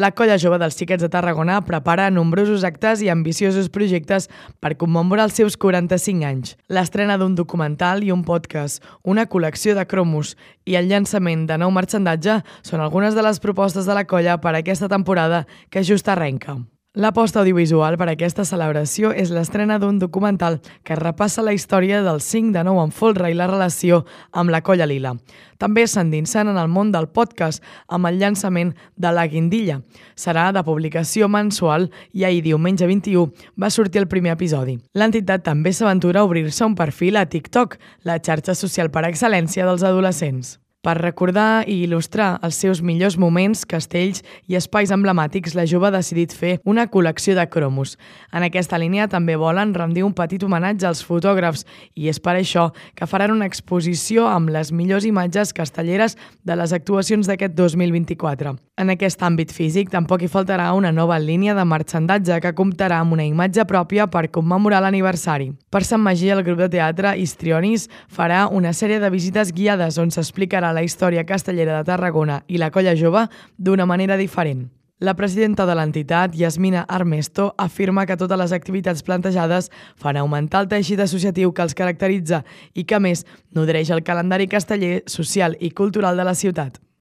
La Colla Jove dels Xiquets de Tarragona prepara nombrosos actes i ambiciosos projectes per commemorar els seus 45 anys. L'estrena d'un documental i un podcast, una col·lecció de cromos i el llançament de nou marxandatge són algunes de les propostes de la colla per a aquesta temporada que just arrenca. L'aposta audiovisual per a aquesta celebració és l'estrena d'un documental que repassa la història del 5 de 9 en folre i la relació amb la Colla Lila. També s'endinsen en el món del podcast amb el llançament de La Guindilla. Serà de publicació mensual i ahir, diumenge 21, va sortir el primer episodi. L'entitat també s'aventura a obrir-se un perfil a TikTok, la xarxa social per excel·lència dels adolescents. Per recordar i il·lustrar els seus millors moments, castells i espais emblemàtics, la jove ha decidit fer una col·lecció de cromos. En aquesta línia també volen rendir un petit homenatge als fotògrafs i és per això que faran una exposició amb les millors imatges castelleres de les actuacions d'aquest 2024. En aquest àmbit físic tampoc hi faltarà una nova línia de marxandatge que comptarà amb una imatge pròpia per commemorar l'aniversari. Per Sant Magí, el grup de teatre Histrionis farà una sèrie de visites guiades on s'explicarà la història castellera de Tarragona i la Colla Jove d'una manera diferent. La presidenta de l'entitat, Yasmina Armesto, afirma que totes les activitats plantejades fan augmentar el teixit associatiu que els caracteritza i que, a més, nodreix el calendari casteller, social i cultural de la ciutat.